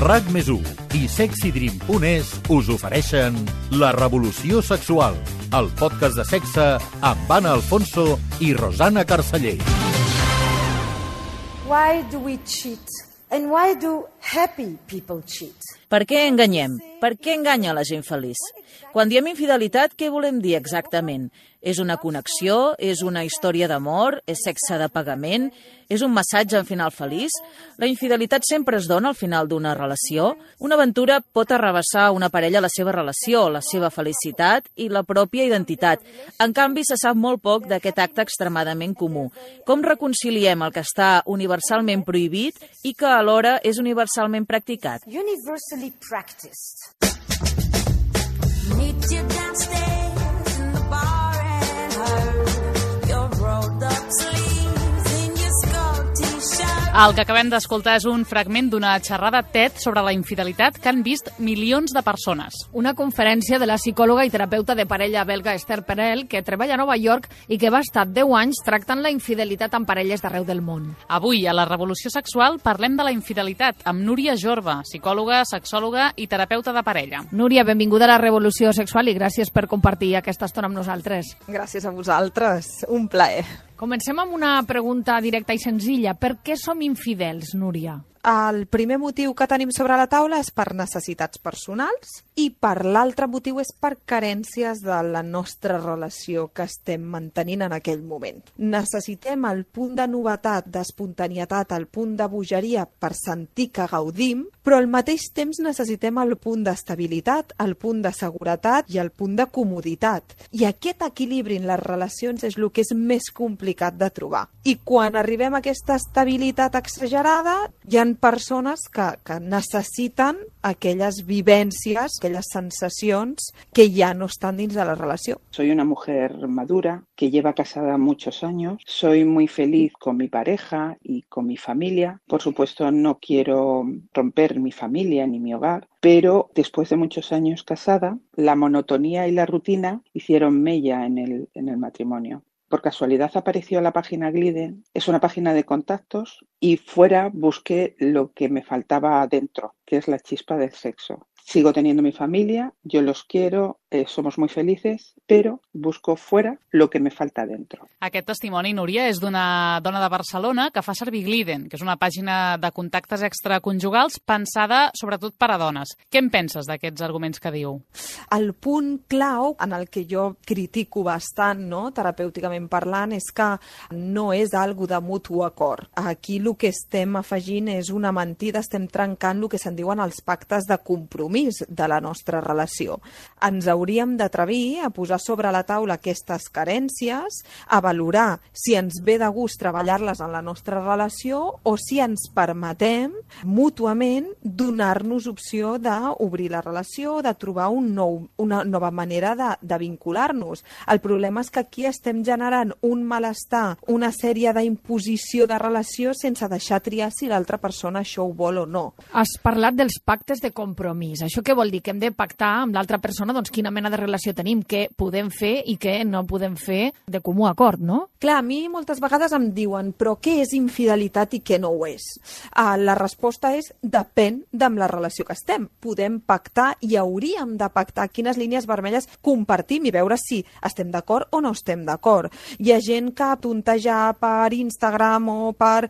RAC+1 i SexyDream.es us ofereixen La Revolució Sexual, el podcast de sexe amb Anna Alfonso i Rosana Carceller. Why do we cheat? And why do happy people cheat? Per què enganyem? Per què enganya la gent feliç? Quan diem infidelitat, què volem dir exactament? És una connexió? És una història d'amor? És sexe de pagament? És un massatge en final feliç? La infidelitat sempre es dona al final d'una relació? Una aventura pot arrabassar una parella la seva relació, la seva felicitat i la pròpia identitat. En canvi, se sap molt poc d'aquest acte extremadament comú. Com reconciliem el que està universalment prohibit i que alhora és universalment practicat? Universally practiced. Meet you downstairs in the bar and her your rolled up sleeves in your skull t-shirt. El que acabem d'escoltar és un fragment d'una xerrada TED sobre la infidelitat que han vist milions de persones. Una conferència de la psicòloga i terapeuta de parella belga Esther Perel, que treballa a Nova York i que va estar 10 anys tractant la infidelitat amb parelles d'arreu del món. Avui, a la Revolució Sexual, parlem de la infidelitat amb Núria Jorba, psicòloga, sexòloga i terapeuta de parella. Núria, benvinguda a la Revolució Sexual i gràcies per compartir aquesta estona amb nosaltres. Gràcies a vosaltres, un plaer. Comencem amb una pregunta directa i senzilla. Per què som infidels, Núria? El primer motiu que tenim sobre la taula és per necessitats personals i per l'altre motiu és per carències de la nostra relació que estem mantenint en aquell moment. Necessitem el punt de novetat, d'espontanietat, el punt de bogeria per sentir que gaudim, però al mateix temps necessitem el punt d'estabilitat, el punt de seguretat i el punt de comoditat. I aquest equilibri en les relacions és el que és més complicat de trobar. I quan arribem a aquesta estabilitat exagerada, hi ha persones que necessiten aquelles vivències, aquelles sensacions que ja no estan dins de la relació. Soy una mujer madura que lleva casada muchos años. Soy muy feliz con mi pareja y con mi familia. Por supuesto, no quiero romper mi familia ni mi hogar, pero después de muchos años casada, la monotonía y la rutina hicieron mella en el matrimonio. Por casualidad apareció la página Gliden, es una página de contactos y fuera busqué lo que me faltaba dentro, que es la chispa del sexo. Sigo teniendo mi familia, yo los quiero, somos muy felices, pero busco fuera lo que me falta dentro. Aquest testimoni, Núria, és d'una dona de Barcelona que fa servir Gliden, que és una pàgina de contactes extraconjugals pensada sobretot per a dones. Què en penses d'aquests arguments que diu? El punt clau en el que jo critico bastant, no, terapèuticament parlant, és que no és algo de mutu acord. Aquí el que estem afegint és una mentida, estem trencant el que se'n diuen els pactes de compromís de la nostra relació. Ens hauríem d'atrevir a posar sobre la taula aquestes carències, a valorar si ens ve de gust treballar-les en la nostra relació o si ens permetem mútuament donar-nos opció d'obrir la relació, de trobar una nova manera de vincular-nos. El problema és que aquí estem generant un malestar, una sèrie d'imposició de relació sense deixar triar si l'altra persona això ho vol o no. Has parlat dels pactes de compromís. Això què vol dir? Que hem de pactar amb l'altra persona doncs quina mena de relació tenim, què podem fer i què no podem fer de comú acord, no? Clar, a mi moltes vegades em diuen però què és infidelitat i què no ho és? La resposta és depèn de la relació que estem. Podem pactar i hauríem de pactar quines línies vermelles compartim i veure si estem d'acord o no estem d'acord. Hi ha gent que tontejar per Instagram o per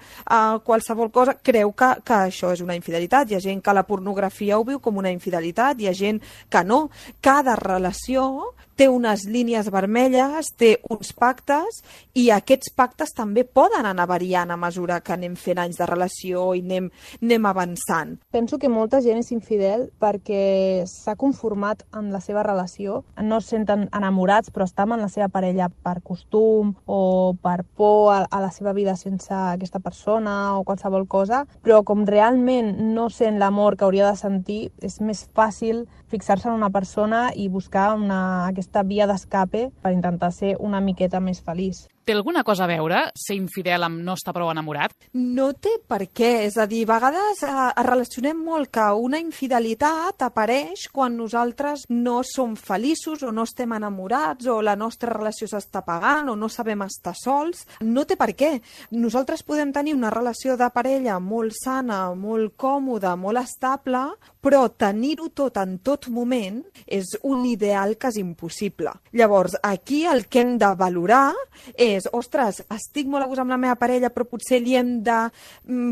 qualsevol cosa creu que això és una infidelitat. Hi ha gent que la pornografia ho viu com una infidelitat, hi ha gent que no. Cada relació té unes línies vermelles, té uns pactes i aquests pactes també poden anar variant a mesura que anem fent anys de relació i anem avançant. Penso que molta gent és infidel perquè s'ha conformat amb la seva relació, no es senten enamorats però estan amb la seva parella per costum o per por a la seva vida sense aquesta persona o qualsevol cosa, però com realment no sent l'amor que hauria de sentir, és més fàcil fixar-se en una persona i buscar aquesta via d'escape per intentar ser una miqueta més feliç. Té alguna cosa a veure ser infidel amb no estar prou enamorat? No té per què, és a dir, a vegades relacionem molt que una infidelitat apareix quan nosaltres no som feliços o no estem enamorats o la nostra relació s'està apagant o no sabem estar sols. No té per què. Nosaltres podem tenir una relació de parella molt sana, molt còmoda, molt estable, però tenir-ho tot en tot moment és un ideal quasi impossible. Llavors, aquí el que hem de valorar és, ostres, estic molt a gust amb la meva parella, però potser li hem de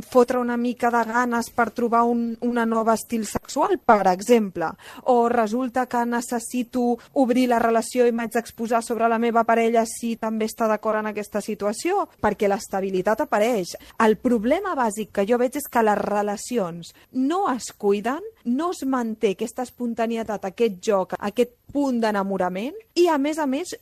fotre una mica de ganes per trobar una nova estil sexual, per exemple. O resulta que necessito obrir la relació i m'haig d'exposar sobre la meva parella si també està d'acord en aquesta situació, perquè l'estabilitat apareix. El problema bàsic que jo veig és que les relacions no es cuiden, no es manté aquesta espontanietat, aquest joc, aquest punt d'enamorament i, a més,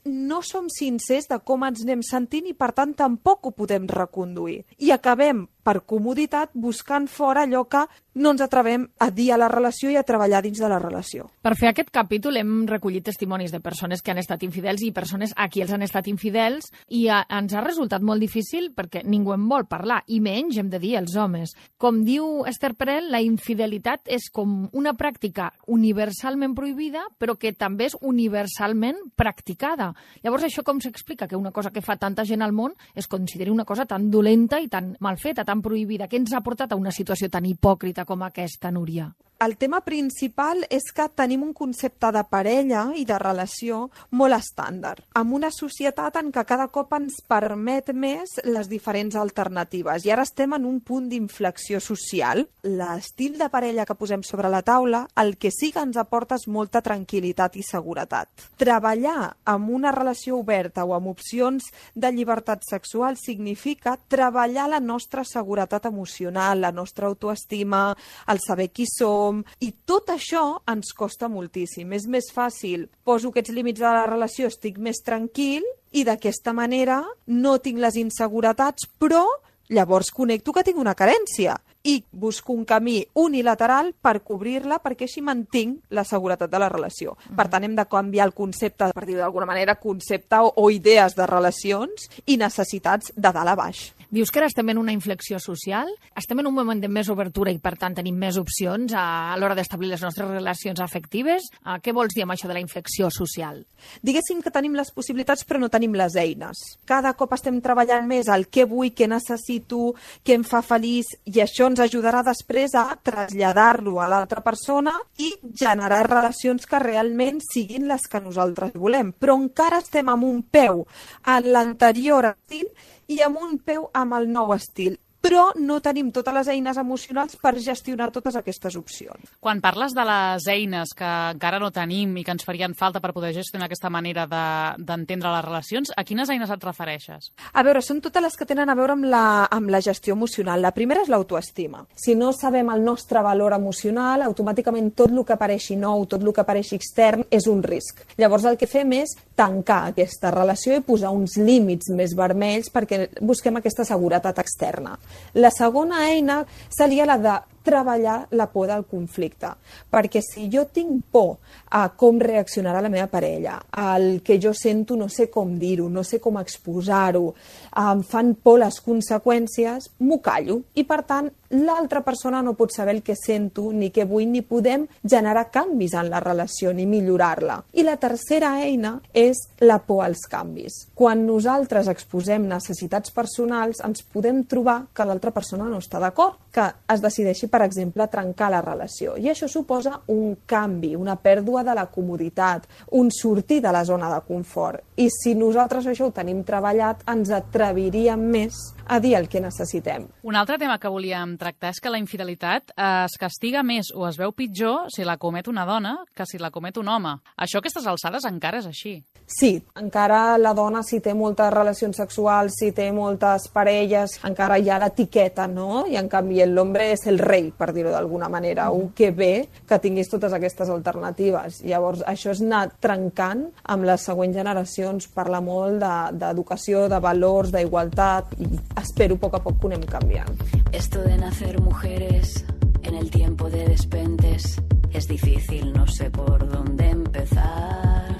no som sincers de com ens anem sentint i, per tant, tampoc ho podem reconduir. I acabem, per comoditat, buscant fora allò que no ens atrevem a dir a la relació i a treballar dins de la relació. Per fer aquest capítol hem recollit testimonis de persones que han estat infidels i persones a qui els han estat infidels i ens ha resultat molt difícil perquè ningú en vol parlar, i menys hem de dir els homes. Com diu Esther Perel, la infidelitat és com una pràctica universalment prohibida, però que també és universalment practicada. Llavors, això com s'explica? Que una cosa que fa tanta gent al món es consideri una cosa tan dolenta i tan mal feta, tan prohibida. Què ens ha portat a una situació tan hipòcrita com aquesta, Núria? El tema principal és que tenim un concepte de parella i de relació molt estàndard, amb una societat en què cada cop ens permet més les diferents alternatives. I ara estem en un punt d'inflexió social. L'estil de parella que posem sobre la taula, el que sí que ens aporta és molta tranquil·litat i seguretat. Treballar amb una relació oberta o amb opcions de llibertat sexual significa treballar la nostra seguretat emocional, la nostra autoestima, el saber qui som, i tot això ens costa moltíssim. És més fàcil, poso aquests límits de la relació, estic més tranquil i d'aquesta manera no tinc les inseguretats, però llavors connecto que tinc una carència i busco un camí unilateral per cobrir-la perquè així mantinc la seguretat de la relació. Per tant, hem de canviar el concepte, per dir-ho d'alguna manera, concepte o idees de relacions i necessitats de dalt a baix. Dius que ara estem en una inflexió social, estem en un moment de més obertura i, per tant, tenim més opcions a l'hora d'establir les nostres relacions afectives. Què vols dir amb això de la inflexió social? Diguéssim que tenim les possibilitats però no tenim les eines. Cada cop estem treballant més el què vull, què necessito, què em fa feliç, i això ens ajudarà després a traslladar-lo a l'altra persona i generar relacions que realment siguin les que nosaltres volem. Però encara estem amb un peu en l'anterior estil i amb un peu amb el nou estil. Però no tenim totes les eines emocionals per gestionar totes aquestes opcions. Quan parles de les eines que encara no tenim i que ens farien falta per poder gestionar aquesta manera d'entendre les relacions, a quines eines et refereixes? A veure, són totes les que tenen a veure amb la gestió emocional. La primera és l'autoestima. Si no sabem el nostre valor emocional, automàticament tot el que apareixi nou, tot el que apareixi extern, és un risc. Llavors el que fem és tancar aquesta relació i posar uns límits més vermells perquè busquem aquesta seguretat externa. La segona eina seria la de treballar la por del conflicte, perquè si jo tinc por a com reaccionarà la meva parella, al que jo sento no sé com dir-ho, no sé com exposar-ho, em fan por les conseqüències, m'ho callo i per tant l'altra persona no pot saber el que sento ni què vull, ni podem generar canvis en la relació ni millorar-la. I la tercera eina és la por als canvis. Quan nosaltres exposem necessitats personals ens podem trobar que l'altra persona no està d'acord, que es decideixi, per exemple, trencar la relació. I això suposa un canvi, una pèrdua de la comoditat, un sortir de la zona de confort. I si nosaltres això ho tenim treballat, ens atreviríem més a dir el que necessitem. Un altre tema que volíem tractar és que la infidelitat es castiga més o es veu pitjor si la comet una dona que si la comet un home. Això a aquestes alçades encara és així. Sí, encara la dona, si té moltes relacions sexuals, si té moltes parelles, encara hi ha l'etiqueta, no? I en canvi l'home és el rei, per dir-ho d'alguna manera. Que bé que tinguis totes aquestes alternatives. Llavors, això és anar trencant amb les següents generacions, parla molt d'educació, de valors, d'igualtat, i espero a poc que ho anem canviant. Esto de nacer mujeres en el tiempo de despentes es difícil, no sé por dónde empezar.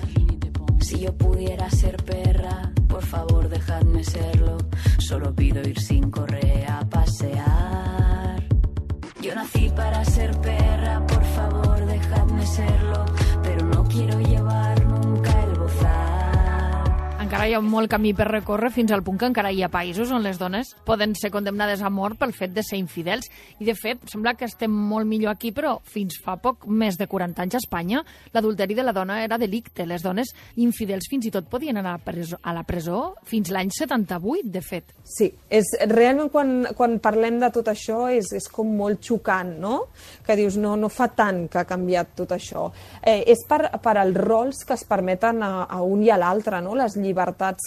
Si yo pudiera ser perra, por favor dejadme dejadme serlo. Solo pido ir sin correa a pasear. Yo nací para ser perra, por favor, dejadme serlo. Pero no quiero llevar nunca el bozal. Encara hi ha molt camí per recórrer fins al punt que encara hi ha països on les dones poden ser condemnades a mort pel fet de ser infidels. I, de fet, sembla que estem molt millor aquí, però fins fa poc més de 40 anys a Espanya l'adulteri de la dona era delicte. Les dones infidels fins i tot podien anar a la presó fins l'any 78, de fet. Sí, realment quan parlem de tot això és com molt xocant, no? Que dius, no fa tant que ha canviat tot això. És per als rols que es permeten a un i a l'altre, no? Les llibertats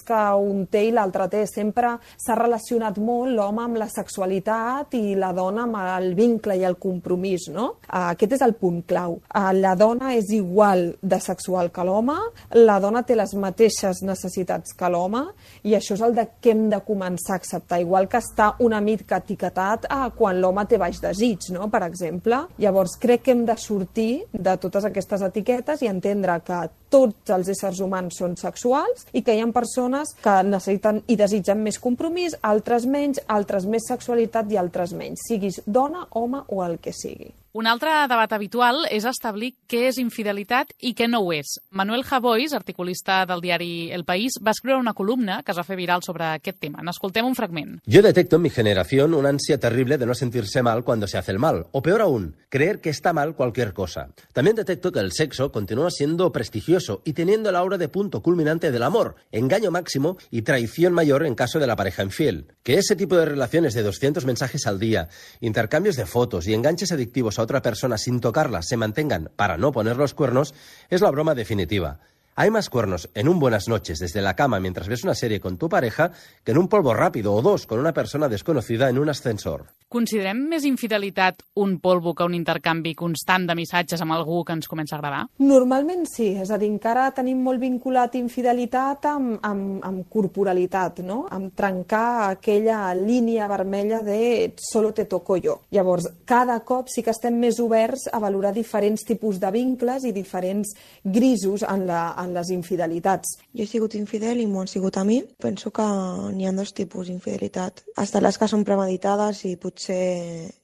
que un té i l'altre té. Sempre s'ha relacionat molt l'home amb la sexualitat i la dona amb el vincle i el compromís, no? Aquest és el punt clau. La dona és igual de sexual que l'home, la dona té les mateixes necessitats que l'home i això és el que hem de començar a acceptar, igual que està una mica etiquetat quan l'home té baix desig, no? Per exemple. Llavors crec que hem de sortir de totes aquestes etiquetes i entendre que tots els éssers humans són sexuals i que hi ha persones que necessiten i desitgen més compromís, altres menys, altres més sexualitat i altres menys, siguis dona, home o el que sigui. Un altre debat habitual és establir què és infidelitat i què no ho és. Manuel Javois, articulista del diari El País, va escriure una columna que es va fer viral sobre aquest tema. N'escoltem un fragment. Yo detecto en mi generación una ansia terrible de no sentirse mal cuando se hace el mal, o peor aún, creer que está mal cualquier cosa. También detecto que el sexo continúa siendo prestigioso y teniendo el aura de punto culminante del amor, engaño máximo y traición mayor en caso de la pareja infiel. Que ese tipo de relaciones de 200 mensajes al día, intercambios de fotos y enganches adictivos a otra persona sin tocarla se mantengan para no poner los cuernos es la broma definitiva. Hay más cuernos en un buenas noches desde la cama mientras ves una serie con tu pareja que en un polvo rápido o dos con una persona desconocida en un ascensor. Considerem més infidelitat un polvo que un intercanvi constant de missatges amb algú que ens comença a agradar? Normalment sí, és a dir, encara tenim molt vinculat infidelitat amb corporalitat, no? Amb trencar aquella línia vermella de solo te toco yo. Llavors, cada cop sí que estem més oberts a valorar diferents tipus de vincles i diferents grisos en les infidelitats. Jo he sigut infidel i m'ho han sigut a mi. Penso que n'hi ha dos tipus d'infidelitat. Hasta les que són premeditades i potser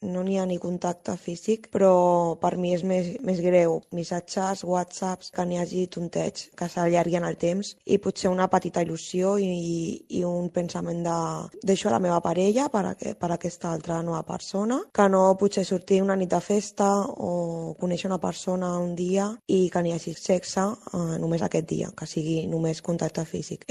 no n'hi ha ni contacte físic, però per mi és més greu missatges, whatsapps, que n'hi hagi tonteig, que s'allarguen el temps i potser una petita il·lusió i un pensament de deixo a la meva parella per aquesta altra nova persona, que no potser sortir una nit de festa o conèixer una persona un dia i que n'hi hagi sexe només aquest dia, que sigui només contacte físic.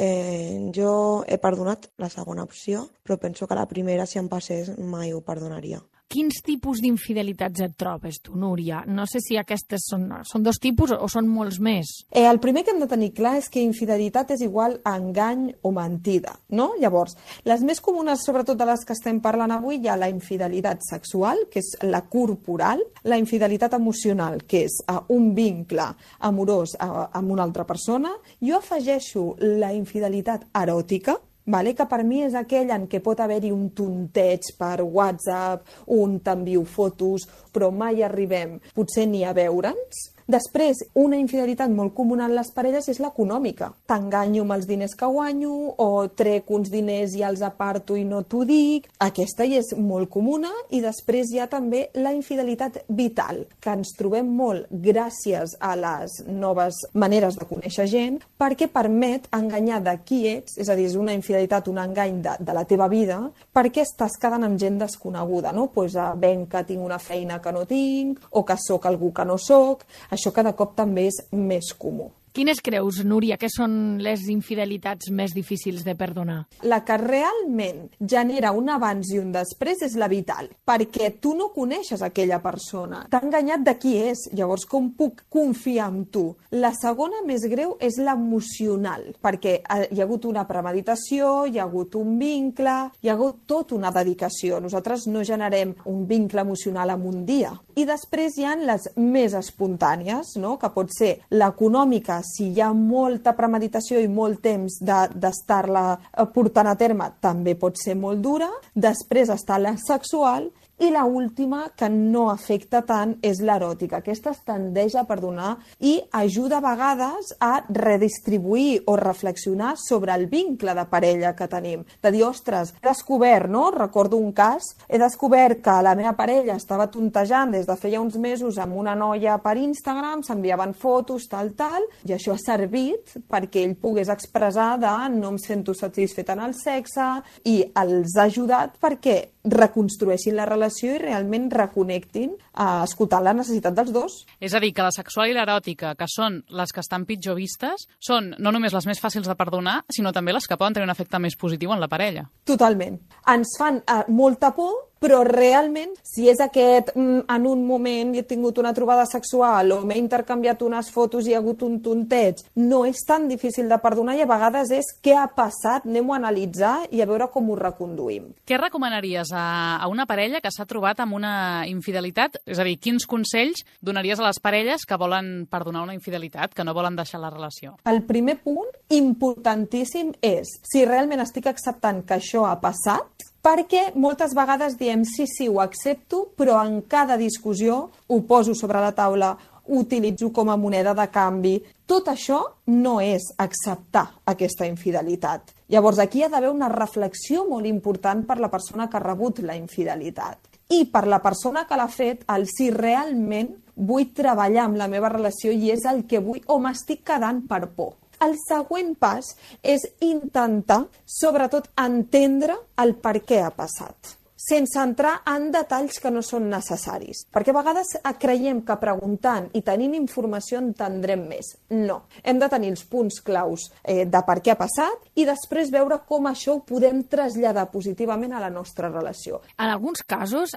Jo he perdonat la segona opció, però penso que la primera, si em passés, mai ho perdonaria. Quins tipus d'infidelitats et trobes tu, Núria? No sé si aquestes són dos tipus o són molts més. El primer que hem de tenir clar és que infidelitat és igual a engany o mentida, no? Llavors, les més comunes, sobretot de les que estem parlant avui, hi ha la infidelitat sexual, que és la corporal, la infidelitat emocional, que és un vincle amorós amb una altra persona. Jo afegeixo la infidelitat eròtica, que per mi és aquell en què pot haver-hi un tonteig per WhatsApp, un t'envio fotos, però mai arribem potser ni a veure'ns. Després, una infidelitat molt comuna en les parelles és l'econòmica. T'enganyo amb els diners que guanyo o trec uns diners i els aparto i no t'ho dic. Aquesta hi és molt comuna. I després hi ha també la infidelitat vital, que ens trobem molt gràcies a les noves maneres de conèixer gent, perquè permet enganyar de qui ets, és a dir, és una infidelitat, un engany de la teva vida, perquè estàs quedant amb gent desconeguda, no? Venc que tinc una feina que no tinc, o que sóc algú que no sóc. Això cada cop també és més comú. Quines creus, Núria, que són les infidelitats més difícils de perdonar? La que realment genera un abans i un després és la vital, perquè tu no coneixes aquella persona, t'ha enganyat de qui és, llavors com puc confiar en tu? La segona més greu és l'emocional, perquè hi ha hagut una premeditació, hi ha hagut un vincle, hi ha hagut tota una dedicació. Nosaltres no generem un vincle emocional en un dia. I després hi ha les més espontànies, no? Que pot ser l'econòmica, si hi ha molta premeditació i molt temps d'estar-la portant a terme, també pot ser molt dura. Després està la sexual I la última, que no afecta tant, és l'eròtica. Aquesta es tendeix a perdonar i ajuda a vegades a redistribuir o reflexionar sobre el vincle de parella que tenim. De dir, ostres, he descobert, no? Recordo un cas, he descobert que la meva parella estava tontejant des de feia uns mesos amb una noia per Instagram, s'enviaven fotos, tal, i això ha servit perquè ell pogués expressar de no em sento satisfet en el sexe i els ha ajudat perquè reconstrueixin la relació i realment reconnectin escoltant la necessitat dels dos. És a dir, que la sexual i l'eròtica, que són les que estan pitjor vistes, són no només les més fàcils de perdonar, sinó també les que poden tenir un efecte més positiu en la parella. Totalment. Ens fan molta por, però realment, si és aquest, en un moment he tingut una trobada sexual o m'he intercanviat unes fotos i hi ha hagut un tonteig, no és tan difícil de perdonar i a vegades és què ha passat, anem-ho a analitzar i a veure com ho reconduïm. Què recomanaries a una parella que s'ha trobat amb una infidelitat? És a dir, quins consells donaries a les parelles que volen perdonar una infidelitat, que no volen deixar la relació? El primer punt, importantíssim, és si realment estic acceptant que això ha passat, perquè moltes vegades diem sí, ho accepto, però en cada discussió ho poso sobre la taula, ho utilitzo com a moneda de canvi. Tot això no és acceptar aquesta infidelitat. Llavors aquí hi ha d'haver una reflexió molt important per la persona que ha rebut la infidelitat. I per la persona que l'ha fet, el si realment vull treballar amb la meva relació i és el que vull o m'estic quedant per por. El següent pas és intentar, sobretot, entendre el per què ha passat, sense entrar en detalls que no són necessaris. Perquè a vegades creiem que preguntant i tenint informació entendrem més. No. Hem de tenir els punts claus de per què ha passat i després veure com això ho podem traslladar positivament a la nostra relació. En alguns casos,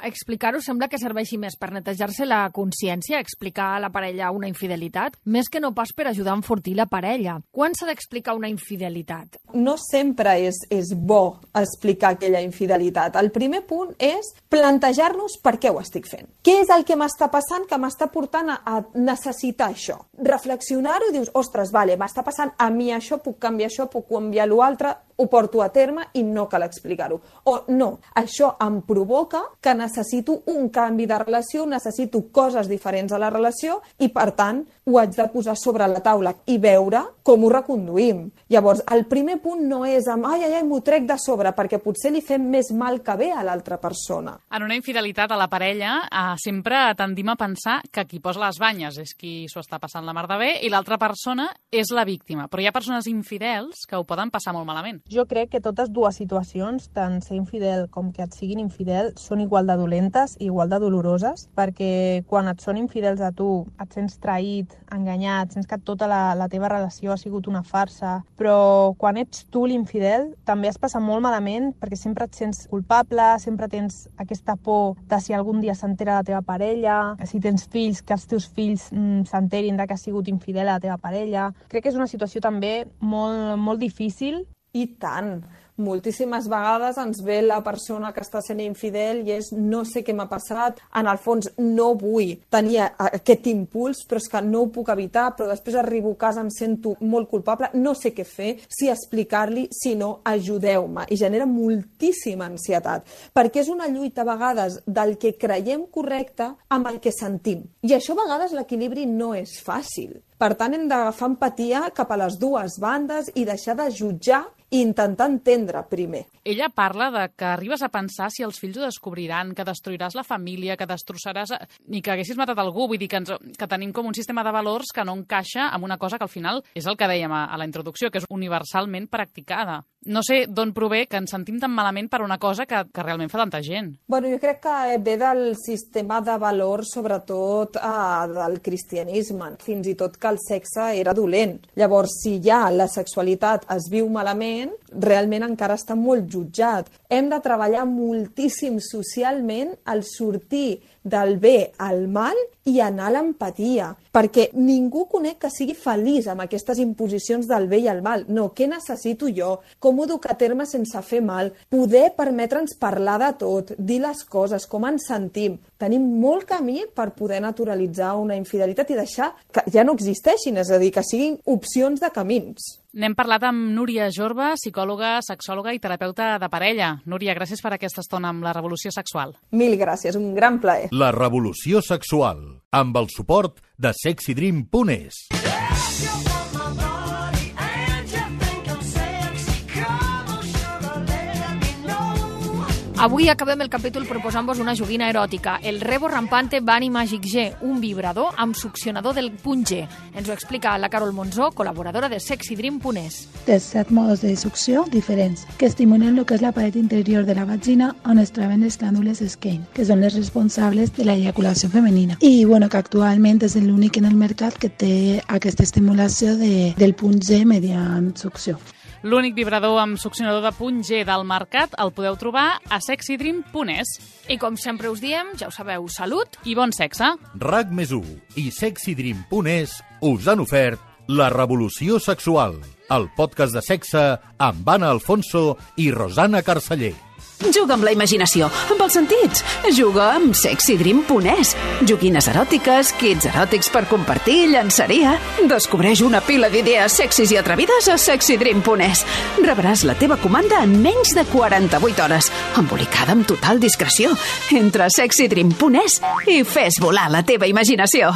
explicar-ho sembla que serveixi més per netejar-se la consciència, explicar a la parella una infidelitat, més que no pas per ajudar a enfortir la parella. Quan s'ha d'explicar una infidelitat? No sempre és bo explicar aquella infidelitat. El primer punt és plantejar-nos per què ho estic fent. Què és el que m'està passant que m'està portant a necessitar això? Reflexionar-ho i dius, ostres, vale, m'està passant a mi això, puc canviar això, puc canviar l'altre, ho porto a terme i no cal explicar-ho. O no, això em provoca que necessito un canvi de relació, necessito coses diferents a la relació i, per tant, ho haig de posar sobre la taula i veure com ho reconduïm. Llavors, el primer punt no és amb m'ho trec de sobre, perquè potser li fem més mal que bé a l'altra persona. En una infidelitat a la parella sempre tendim a pensar que qui posa les banyes és qui s'ho està passant la mar de bé i l'altra persona és la víctima. Però hi ha persones infidels que ho poden passar molt malament. Jo crec que totes dues situacions, tant ser infidel com que et siguin infidel, són igual de dolentes i igual de doloroses, perquè quan et són infidels a tu, et sents traït, enganyat, sents que tota la teva relació ha sigut una farsa, però quan ets tu l'infidel també es passa molt malament perquè sempre et sents culpable, sempre tens aquesta por de si algun dia s'entera la teva parella, si tens fills, que els teus fills s'enterin de que has sigut infidel a la teva parella. Crec que és una situació també molt, molt difícil. I tant! Moltíssimes vegades ens ve la persona que està sent infidel i és no sé què m'ha passat, en el fons no vull tenir aquest impuls, però és que no ho puc evitar, però després arribo a casa, em sento molt culpable, no sé què fer, si explicar-li, si no, ajudeu-me. I genera moltíssima ansietat, perquè és una lluita a vegades del que creiem correcte amb el que sentim. I això a vegades l'equilibri no és fàcil. Per tant, hem d'agafar empatia cap a les dues bandes i deixar de jutjar i intentar entendre primer. Ella parla de que arribes a pensar si els fills ho descobriran, que destruiràs la família, que destrossaràs ni que haguessis matat algú. Vull dir que tenim com un sistema de valors que no encaixa amb una cosa que al final és el que dèiem a la introducció, que és universalment practicada. No sé d'on prové que ens sentim tan malament per una cosa que realment fa tanta gent. Bueno, jo crec que ve del sistema de valors, sobretot del cristianisme. Fins i tot que el sexe era dolent. Llavors, si ja la sexualitat es viu malament, realment encara està molt jutjat. Hem de treballar moltíssim socialment al sortir del bé al mal i anar a l'empatia, perquè ningú conec que sigui feliç amb aquestes imposicions del bé i el mal. No, què necessito jo? Com ho duc a terme sense fer mal? Poder permetre'ns parlar de tot, dir les coses, com ens sentim. Tenim molt camí per poder naturalitzar una infidelitat i deixar que ja no existeixin, és a dir, que siguin opcions de camins. N'hem parlat amb Núria Jorba, psicòloga, sexòloga i terapeuta de parella. Núria, gràcies per aquesta estona amb la revolució sexual. Mil gràcies, un gran plaer. La revolució sexual, amb el suport de sexydream.es. Avui acabem el capítol proposant-vos una joguina eròtica, el Rebo Rampante Bunny Magic G, un vibrador amb succionador del punt G. Ens ho explica la Carol Monzó, col·laboradora de sexydream.es. Té 7 modos de succió diferents que estimulen el que és la paret interior de la vagina on es troben les glàndules Skene, que són les responsables de la eyaculació femenina. I que actualment és l'únic en el mercat que té aquesta estimulació del punt G mediant succió. L'únic vibrador amb succionador de punt G del mercat el podeu trobar a sexydream.es. I com sempre us diem, ja ho sabeu, salut i bon sexe. RAC+1 i sexydream.es us han ofert La revolució sexual, el podcast de sexe amb Anna Alfonso i Rosana Carceller. Juga amb la imaginació, amb els sentits. Juga amb sexydream.es. Joguines eròtiques, kits eròtics per compartir, llançaria. Descobreix una pila d'idees sexis i atrevides a sexydream.es. Rebràs la teva comanda en menys de 48 hores, embolicada amb total discreció. Entra a sexydream.es i fes volar la teva imaginació.